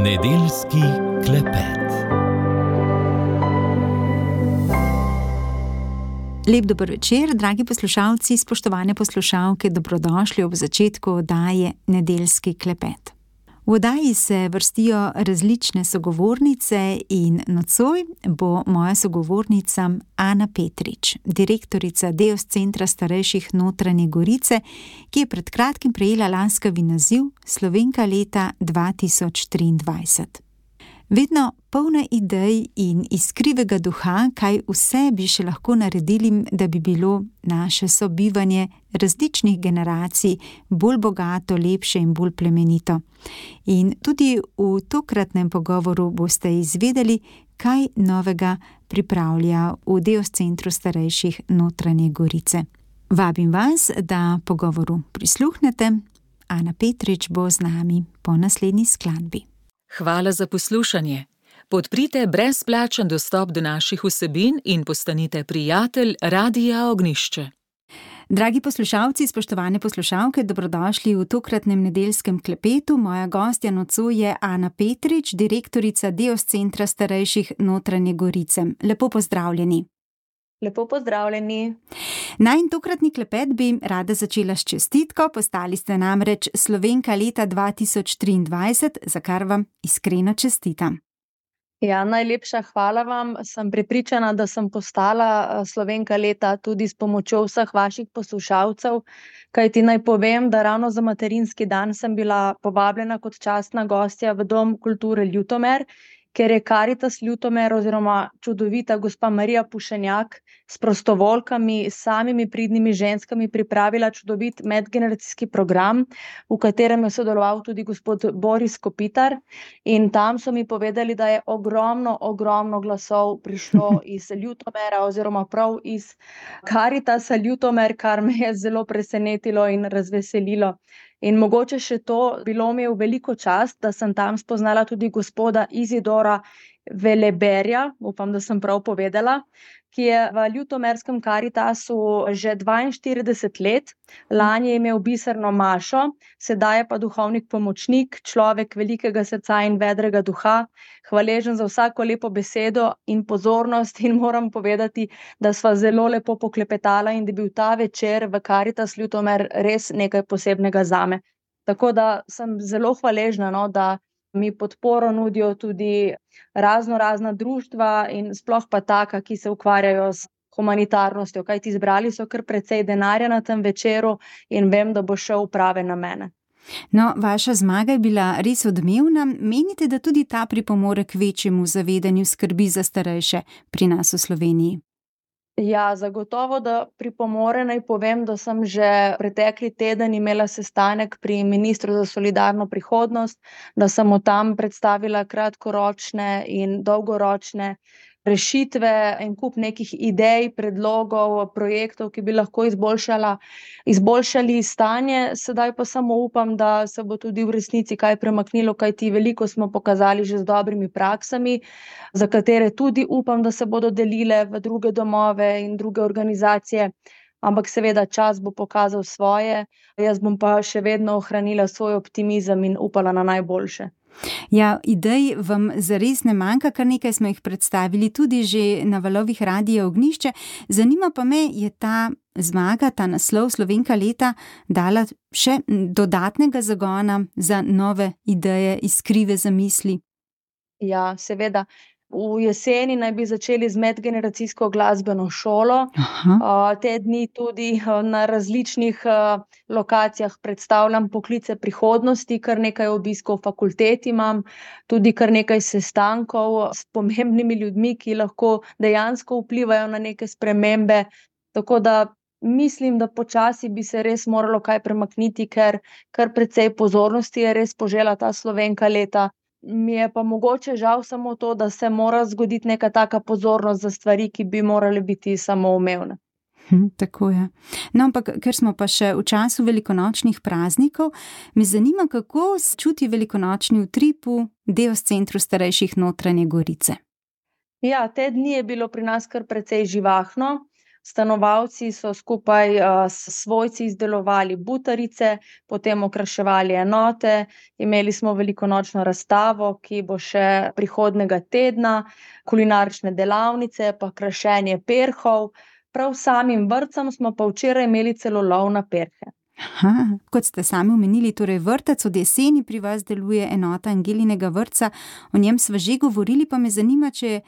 Nedeljski klepet. Lep dober večer, dragi poslušalci, spoštovane poslušalke, dobrodošli ob začetku oddaje Nedeljski klepet. V oddaji se vrstijo različne sogovornice in nocoj bo moja sogovornica Ana Petrič, direktorica Deos centra starejših Notranje Gorice, ki je pred kratkim prejela lanskavi naziv Slovenka leta 2023. Vedno polna idej in iskrivega duha, kaj vse bi še lahko naredili, da bi bilo naše sobivanje različnih generacij bolj bogato, lepše in bolj plemenito. In tudi v tokratnem pogovoru boste izvedeli, kaj novega pripravlja v Deos centru starejših Notranje Gorice. Vabim vas, da pogovoru prisluhnete. Ana Petrič bo z nami po naslednji skladbi. Hvala za poslušanje. Podprite brezplačen dostop do naših vsebin in postanite prijatelj Radia Ognjišče. Dragi poslušalci, spoštovane poslušalke, dobrodošli v tokratnem nedeljskem klepetu. Moja gostja nocoj je Ana Petrič, direktorica Deos centra starejših Notranje Gorice. Lepo pozdravljeni. Lepo pozdravljeni. Najin tokratni klepet bi rada začela s čestitko. Postali ste namreč Slovenka leta 2023, za kar vam iskreno čestitam. Ja, najlepša hvala vam. Sem prepričana, da sem postala Slovenka leta tudi s pomočjo vseh vaših poslušalcev, kajti naj povem, da ravno za materinski dan sem bila povabljena kot častna gostja v Dom kulture Ljutomer, ker je Karitas Ljutomer oziroma čudovita gospa Marija Pušenjak s prostovoljkami, samimi pridnimi ženskami pripravila čudovit medgeneracijski program, v katerem je sodeloval tudi gospod Boris Kopitar, in tam so mi povedali, da je ogromno glasov prišlo iz Ljutomera oziroma prav iz Karitasa Ljutomer, kar me je zelo presenetilo in razveselilo. In mogoče še to, bilo mi je v veliko čast, da sem tam spoznala tudi gospoda Izidora Veleberja, upam, da sem prav povedala, ki je v Ljutomerskem Karitasu že 42 let. Lani je imel biserno mašo, sedaj je pa duhovnik pomočnik, človek velikega srca in vedrega duha, hvaležen za vsako lepo besedo in pozornost, in moram povedati, da sva zelo lepo poklepetala in da je bil ta večer v Karitas Ljutomer res nekaj posebnega zame. Tako da sem zelo hvaležna, da mi podporo nudijo tudi razna društva in sploh pa taka, ki se ukvarjajo s humanitarnostjo, kajti zbrali so kar precej denarja na tem večeru in vem, da bo šel v prave namene. No, vaša zmaga je bila res odmevna. Menite, da tudi ta pripomore k večjemu zavedanju skrbi za starejše pri nas v Sloveniji? Ja, zagotovo, da pripomore. Naj povem, da sem že pretekli teden imela sestanek pri ministru za solidarno prihodnost, da sem mu tam predstavila kratkoročne in dolgoročne rešitve, en kup nekih idej, predlogov, projektov, ki bi lahko izboljšali stanje. Sedaj pa samo upam, da se bo tudi v resnici kaj premaknilo, kajti veliko smo pokazali že z dobrimi praksami, za katere tudi upam, da se bodo delile v druge domove in druge organizacije. Ampak seveda čas bo pokazal svoje, jaz bom pa še vedno ohranila svoj optimizem in upala na najboljše. Ja, idej vam zares ne manjka, kar nekaj smo jih predstavili tudi že na valovih Radia Ognjišče. Zanima pa me, je ta zmaga, ta naslov Slovenka leta dala še dodatnega zagona za nove ideje, iskrive zamisli? Ja, seveda. V jeseni naj bi začeli z medgeneracijsko glasbeno šolo. Te dni tudi na različnih lokacijah predstavljam poklice prihodnosti, kar nekaj obiskov fakultet imam, tudi kar nekaj sestankov s pomembnimi ljudmi, ki lahko dejansko vplivajo na neke spremembe. Tako da mislim, da počasi bi se res moralo kaj premakniti, ker kar precej pozornosti je res požela ta Slovenka leta. Mi je pa mogoče žal samo to, da se mora zgoditi neka taka pozornost za stvari, ki bi morale biti samoumevne. Tako je. No, ampak ker smo pa še v času velikonočnih praznikov, me zanima, kako se čuti velikonočni utrip v Deos centru starejših Notranje Gorice. Ja, te dni je bilo pri nas kar precej živahno. Stanovalci so skupaj s svojci izdelovali butarice, potem okraševali enote, imeli smo velikonočno razstavo, ki bo še prihodnjega tedna, kulinarične delavnice pa krašenje perhov. Prav samim vrtcem smo pa včeraj imeli celo lov na perhe. Aha, kot ste sami omenili, torej vrtec od jeseni pri vas deluje enota Angelinega vrtca, o njem sva že govorili, pa me zanima, če je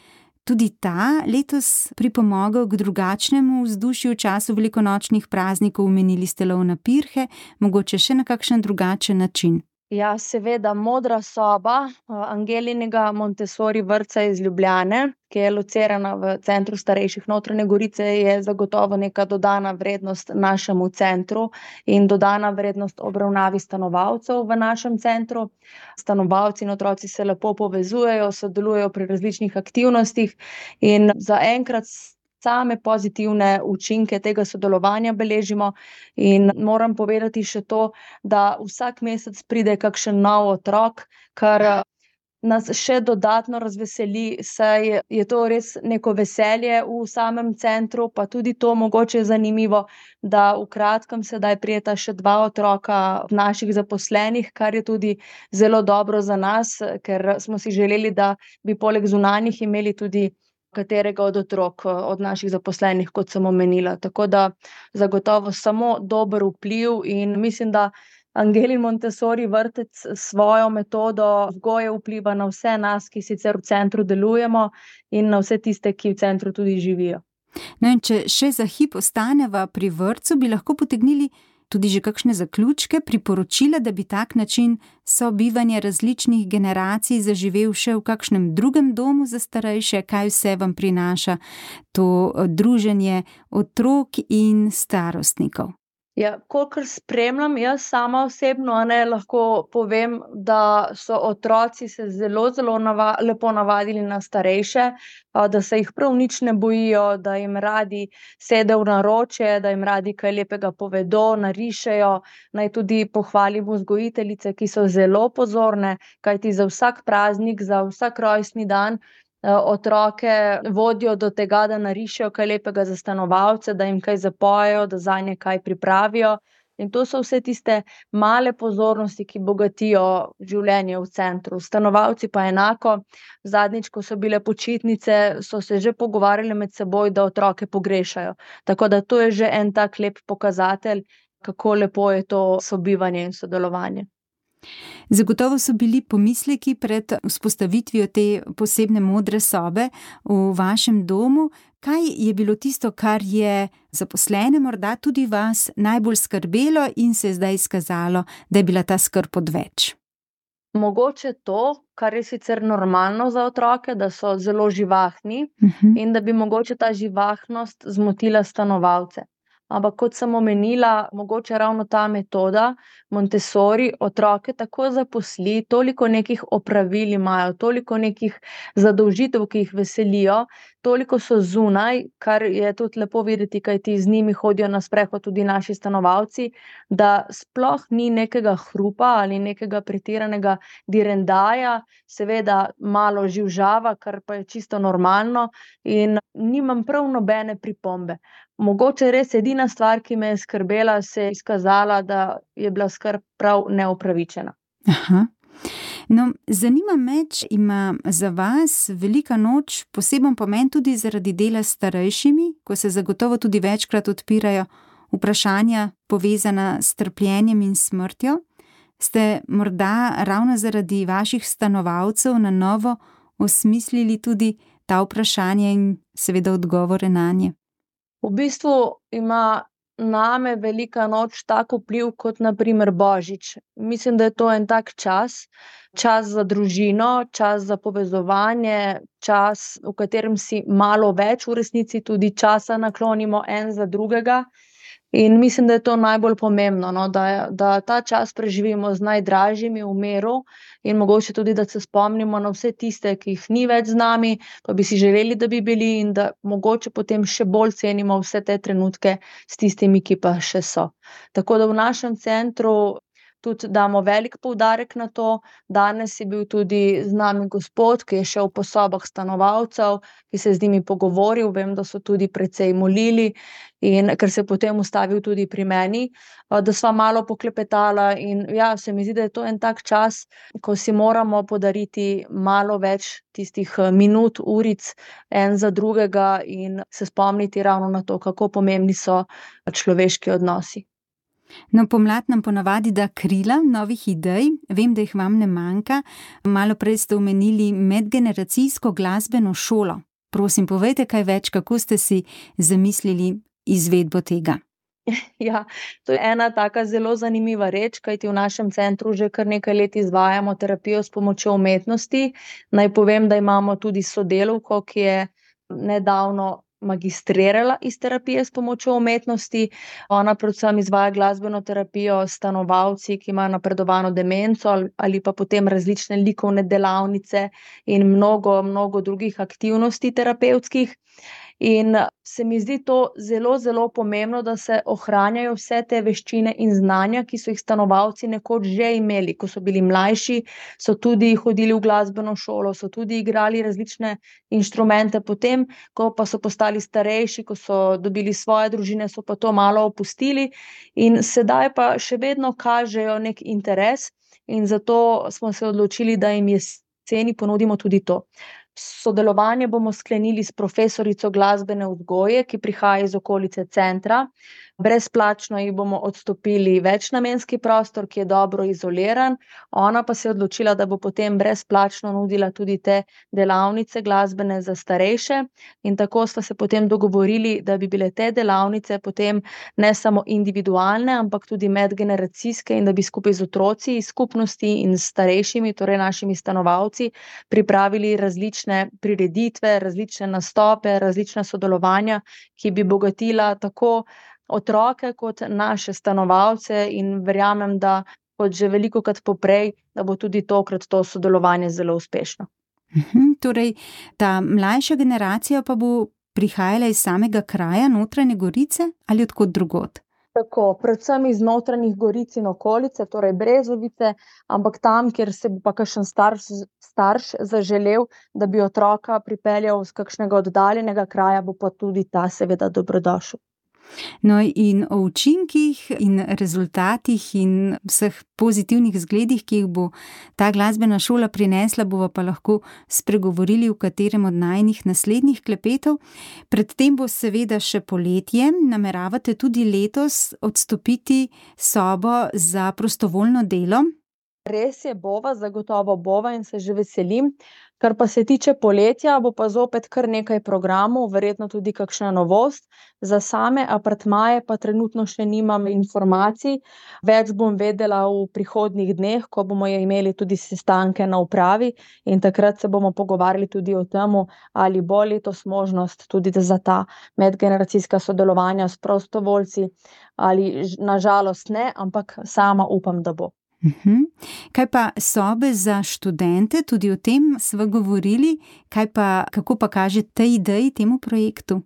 tudi ta letos pripomogel k drugačnemu vzdušju v času velikonočnih praznikov, omenili ste lov na pirhe, mogoče še na kakšen drugačen način. Ja, seveda, Modra soba Angelinega Montessori vrtca iz Ljubljane, ki je locirana v centru starejših Notranje Gorice, je zagotovo neka dodana vrednost našemu centru in dodana vrednost obravnavi stanovalcev v našem centru. Stanovalci in otroci se lepo povezujejo, sodelujejo pri različnih aktivnostih in zaenkrat same pozitivne učinke tega sodelovanja beležimo in moram povedati še to, da vsak mesec pride kakšen nov otrok, kar nas še dodatno razveseli, saj je to res neko veselje v samem centru, pa tudi to mogoče zanimivo, da v kratkem sedaj prideta še 2 otroka naših zaposlenih, kar je tudi zelo dobro za nas, ker smo si želeli, da bi poleg zunanjih imeli tudi katerega od otrok od naših zaposlenih, kot sem omenila. Tako da zagotovo samo dober vpliv in mislim, da Angelin Montessori vrtec s svojo metodo vzgoje vpliva na vse nas, ki sicer v centru delujemo, in na vse tiste, ki v centru tudi živijo. No in če še za hip ostaneva pri vrtcu, bi lahko potegnili tudi že kakšne zaključke, priporočila, da bi tak način sobivanja različnih generacij zaživel še v kakšnem drugem domu za starejše, kaj vse vam prinaša to druženje otrok in starostnikov? Ja, kolikor spremljam, jaz sama osebno, lahko povem, da so otroci se zelo, zelo lepo navadili na starejše, da se jih prav nič ne bojijo, da jim radi sedejo v naročje, da jim radi kaj lepega povedo, narišejo. Naj tudi pohvalim vzgojiteljice, ki so zelo pozorne, kajti za vsak praznik, za vsak rojstni dan otroke vodijo do tega, da narišejo kaj lepega za stanovalce, da jim kaj zapojejo, da zanje kaj pripravijo. In to so vse tiste male pozornosti, ki bogatijo življenje v centru. Stanovalci pa enako. Zadnjič, ko so bile počitnice, so se že pogovarjali med seboj, da otroke pogrešajo. Tako da to je že en tak lep pokazatelj, kako lepo je to sobivanje in sodelovanje. Zagotovo so bili pomisleki pred vzpostavitvijo te posebne modre sobe v vašem domu. Kaj je bilo tisto, kar je zaposlene morda tudi vas najbolj skrbelo in se je zdaj izkazalo, da je bila ta skrb odveč? Mogoče to, kar je sicer normalno za otroke, da so zelo živahni in da bi mogoče ta živahnost zmotila stanovalce. Ampak kot sem omenila, mogoče ravno ta metoda Montessori otroke tako zaposli, toliko nekih opravil imajo, toliko nekih zadolžitev, ki jih veselijo, toliko so zunaj, kar je tudi lepo videti, kajti z njimi hodijo na sprehod tudi naši stanovalci, da sploh ni nekega hrupa ali nekega pretiranega direndaja, seveda malo živžava, kar pa je čisto normalno in nimam prav nobene pripombe. Mogoče res edina stvar, ki me je skrbela, se je izkazala, da je bila skrb prav neupravičena. Aha. No, zanima me, če ima za vas velika noč poseben pomen tudi zaradi dela s starejšimi, ko se zagotovo tudi večkrat odpirajo vprašanja povezana s trpljenjem in smrtjo. Ste morda ravno zaradi vaših stanovalcev na novo osmislili tudi ta vprašanja in seveda odgovore nanje? V bistvu ima name velika noč tak vpliv kot na primer Božič. Mislim, da je to en tak čas za družino, čas za povezovanje, čas, v katerem si malo več v resnici tudi časa naklonimo en za drugega. In mislim, da je to najbolj pomembno, da ta čas preživimo z najdražjimi v miru in mogoče tudi, da se spomnimo na vse tiste, ki jih ni več z nami, pa bi si želeli, da bi bili in da mogoče potem še bolj cenimo vse te trenutke s tistimi, ki pa še so. Tako da v našem centru tudi damo velik poudarek na to. Danes je bil tudi z nami gospod, ki je šel po sobah stanovalcev, ki se je z njimi pogovoril. Vem, da so tudi precej molili in ker se je potem ustavil tudi pri meni, da sva malo poklepetala in ja, se mi zdi, da je to en tak čas, ko si moramo podariti malo več tistih minut, uric en za drugega in se spomniti ravno na to, kako pomembni so človeški odnosi. No, pomlad nam ponavadi da krila novih idej, vem, da jih vam ne manjka. Malo prej ste omenili medgeneracijsko glasbeno šolo. Prosim, povejte kaj več, kako ste si zamislili izvedbo tega. Ja, to je ena taka zelo zanimiva reč, kajti v našem centru že kar nekaj let izvajamo terapijo s pomočjo umetnosti. Naj povem, da imamo tudi sodelavko, ki je nedavno magistrirala iz terapije s pomočjo umetnosti. Ona predvsem izvaja glasbeno terapijo s stanovalci, ki imajo napredovano demenco ali pa potem različne likovne delavnice in mnogo drugih aktivnosti terapevtskih. In se mi zdi to zelo, zelo pomembno, da se ohranjajo vse te veščine in znanja, ki so jih stanovalci nekoč že imeli. Ko so bili mlajši, so tudi hodili v glasbeno šolo, so tudi igrali različne inštrumente. Potem, ko pa so postali starejši, ko so dobili svoje družine, so pa to malo opustili in sedaj pa še vedno kažejo nek interes in zato smo se odločili, da jim jeseni ponudimo tudi to. Sodelovanje bomo sklenili s profesorico glasbene vzgoje, ki prihaja iz okolice centra. Brezplačno jih bomo odstopili večnamenski prostor, ki je dobro izoliran. Ona pa se je odločila, da bo potem brezplačno nudila tudi te delavnice glasbene za starejše. In tako sva se potem dogovorili, da bi bile te delavnice potem ne samo individualne, ampak tudi medgeneracijske in da bi skupaj z otroci iz skupnosti in s starejšimi, torej našimi stanovalci, pripravili različne prireditve, različne nastope, različna sodelovanja, ki bi bogatila tako otroke kot naše stanovalce in verjamem, da kot že velikokrat poprej, da bo tudi tokrat to sodelovanje zelo uspešno. Torej, ta mlajša generacija pa bo prihajala iz samega kraja Notranje Gorice ali od kod drugod? Tako, predvsem iz Notranjih Goric in okolice, torej Brezovice, ampak tam, kjer se bo pa kakšen starš zaželel, da bi otroka pripeljal z kakšnega oddaljenega kraja, bo pa tudi ta seveda dobrodošel. No, in o učinkih in rezultatih in vseh pozitivnih zgledih, ki jih bo ta glasbena šola prinesla, bova pa lahko spregovorili v katerem od najinih naslednjih klepetov. Predtem bo seveda še poletje. Nameravate tudi letos odstopiti sobo za prostovoljno delo? Res je, zagotovo bova in se že veselim. Kar pa se tiče poletja, bo pa zopet kar nekaj programov, verjetno tudi kakšna novost. Za same apartmaje pa trenutno še nimam informacij. Več bom vedela v prihodnjih dneh, ko bomo imeli tudi sestanke na upravi in takrat se bomo pogovarjali tudi o tem, ali bo letos možnost tudi za ta medgeneracijska sodelovanja s prostovoljci ali na žalost ne, ampak sama upam, da bo. Kaj pa sobe za študente, tudi o tem sva govorili, kako pa kaže tej ideji, temu projektu?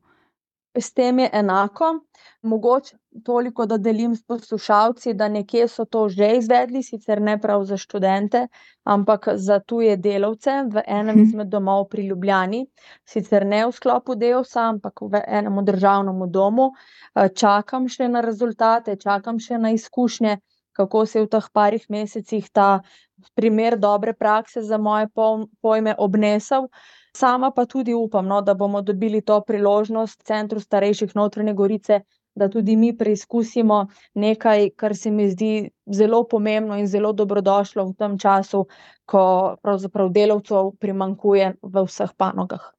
S tem je enako, mogoče toliko, da delim s poslušalci, da nekje so to že izvedli, sicer ne prav za študente, ampak za tuje delavce v enem izmed domov pri Ljubljani, sicer ne v sklopu Deosa, ampak v enem državnem domu. Čakam še na rezultate, čakam še na izkušnje, kako se je v teh parih mesecih ta primer dobre prakse za moje pojme obnesel. Sama pa tudi upam, da bomo dobili to priložnost v Centru starejših Notranje Gorice, da tudi mi preizkusimo nekaj, kar se mi zdi zelo pomembno in zelo dobrodošlo v tem času, ko pravzaprav delavcev primanjkuje v vseh panogah.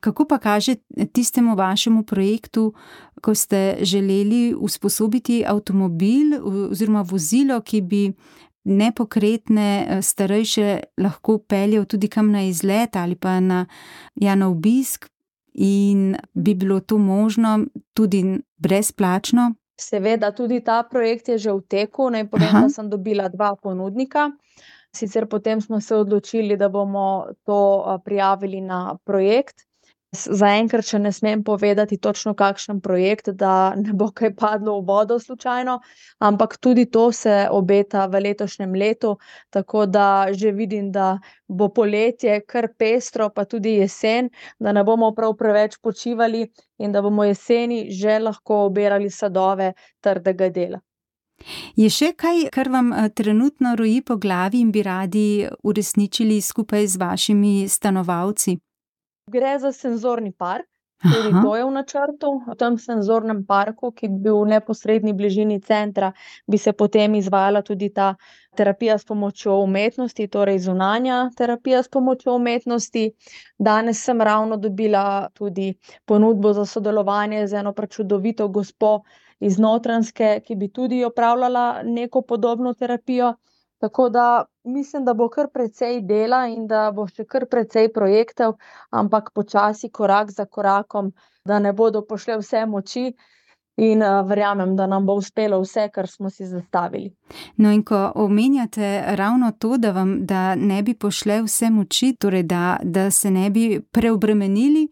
Kako pa kaže tistemu vašemu projektu, ko ste želeli usposobiti avtomobil oziroma vozilo, ki bi nepokretne starejše lahko peljal tudi kam na izlet ali pa na obisk in bi bilo to možno tudi brezplačno? Seveda, tudi ta projekt je že v teku. Naj povem, da sem dobila 2 ponudnika. Sicer potem smo se odločili, da bomo to prijavili na projekt Zaenkrat še ne smem povedati točno kakšen projekt, da ne bo kaj padlo v vodo slučajno, ampak tudi to se obeta v letošnjem letu, tako da že vidim, da bo poletje kar pestro, pa tudi jesen, da ne bomo prav preveč počivali in da bomo jeseni že lahko obirali sadove trdega dela. Je še kaj, kar vam trenutno roji po glavi in bi radi uresničili skupaj z vašimi stanovalci? Gre za senzorni park, tudi to je v načrtu. V tem senzornem parku, ki bi bil v neposredni bližini centra, bi se potem izvajala tudi ta terapija s pomočjo umetnosti, torej zunanja terapija s pomočjo umetnosti. Danes sem ravno dobila tudi ponudbo za sodelovanje z eno prečudovito gospo iz Notranjske, ki bi tudi opravljala neko podobno terapijo. Tako da mislim, da bo kar precej dela in da bo še kar precej projektov, ampak počasi, korak za korakom, da ne bodo pošle vse moči in verjamem, da nam bo uspelo vse, kar smo si zastavili. No, in ko omenjate ravno to, da ne bi pošle vse moči, torej da se ne bi preobremenili,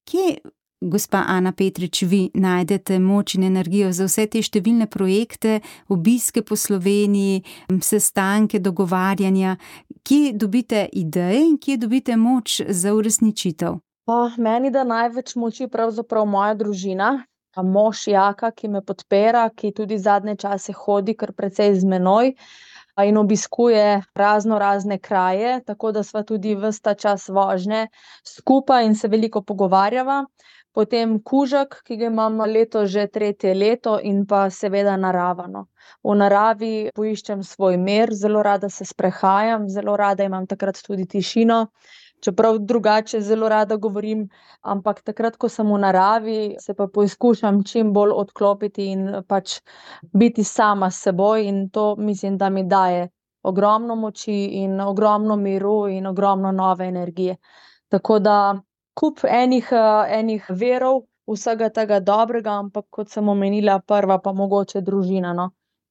kje, gospa Ana Petrič, vi najdete moč in energijo za vse te številne projekte, obiske po Sloveniji, sestanke, dogovarjanja? Kje dobite ideje in kje dobite moč za uresničitev? Meni da največ moči pravzaprav moja družina, mož Jaka, ki me podpira, ki tudi zadnje čase hodi kar precej z menoj in obiskuje razne kraje, tako da sva tudi ves ta čas vožnje skupaj in se veliko pogovarjava. Potem kužek, ki ga imam letos že 3. leto, in pa seveda narava, no. V naravi poiščem svoj mir, zelo rada se sprehajam, zelo rada imam takrat tudi tišino, čeprav drugače zelo rada govorim, ampak takrat, ko sem v naravi, se pa poizkušam čim bolj odklopiti in pač biti sama s seboj, in to mislim, da mi daje ogromno moči in ogromno miru in ogromno nove energije. Tako da kup enih verov vsega tega dobrega, ampak kot sem omenila, prva pa mogoče družina, no,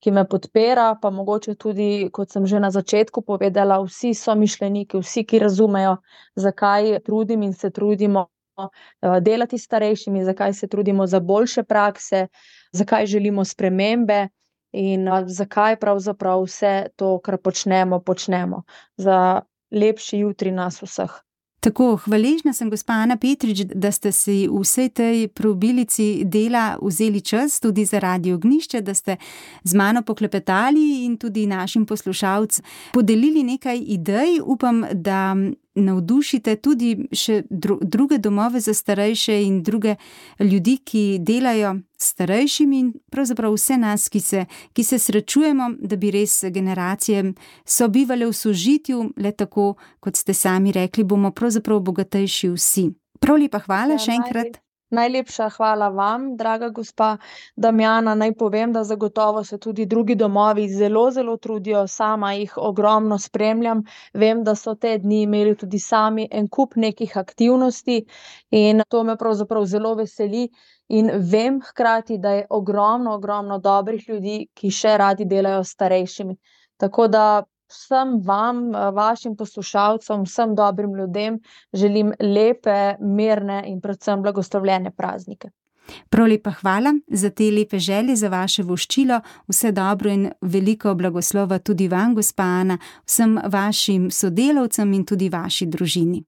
ki me podpira, pa mogoče tudi, kot sem že na začetku povedala, vsi somišljeniki, vsi, ki razumejo, zakaj trudim in se trudimo delati s starejšimi, zakaj se trudimo za boljše prakse, zakaj želimo spremembe in zakaj pravzaprav vse to, kar počnemo, za lepši jutri nas vseh. Tako, hvaležna sem, gospa Ana Petrič, da ste si v vsej tej preobilici dela vzeli čas tudi za Radio Ognjišče, da ste z mano poklepetali in tudi našim poslušalcem podelili nekaj idej. Upam, da navdušite tudi še druge domove za starejše in druge ljudi, ki delajo s starejšimi, in pravzaprav vse nas, ki se srečujemo, da bi res generacije sobivale v sožitju, le tako, kot ste sami rekli, bomo pravzaprav bogatejši vsi. Prav lepa hvala še enkrat. Najlepša hvala vam, draga gospa Damjana. Naj povem, da zagotovo se tudi drugi domovi zelo trudijo, sama jih ogromno spremljam. Vem, da so te dni imeli tudi sami en kup nekih aktivnosti in to me pravzaprav zelo veseli. In vem hkrati, da je ogromno dobrih ljudi, ki še radi delajo s starejšimi. Tako da vsem vam, vašim poslušalcem, vsem dobrim ljudem želim lepe, mirne in predvsem blagoslovljene praznike. Prav lepa hvala za te lepe želje, za vaše voščilo. Vse dobro in veliko blagoslova tudi vam, gospa Ana, vsem vašim sodelavcem in tudi vaši družini.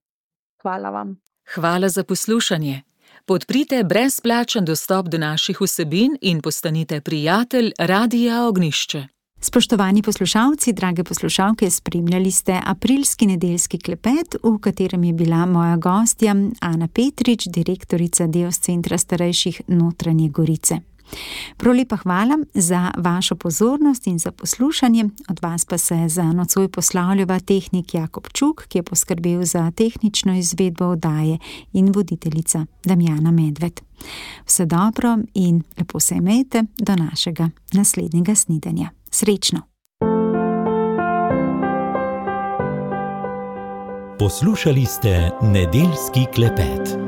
Hvala vam. Hvala za poslušanje. Podprite brezplačen dostop do naših vsebin in postanite prijatelj Radia Ognjišče. Spoštovani poslušalci, drage poslušalke, spremljali ste aprilski nedeljski klepet, v katerem je bila moja gostja Ana Petrič, direktorica Deos centra starejših Notranje Gorice. Prav lepa hvala za vašo pozornost in za poslušanje. Od vas pa se za nocoj poslavljava tehnik Jakob Čuk, ki je poskrbel za tehnično izvedbo oddaje, in voditeljica Damjana Medved. Vse dobro in lepo se imejte do našega naslednjega snidenja. Srečno! Poslušali ste nedeljski klepet.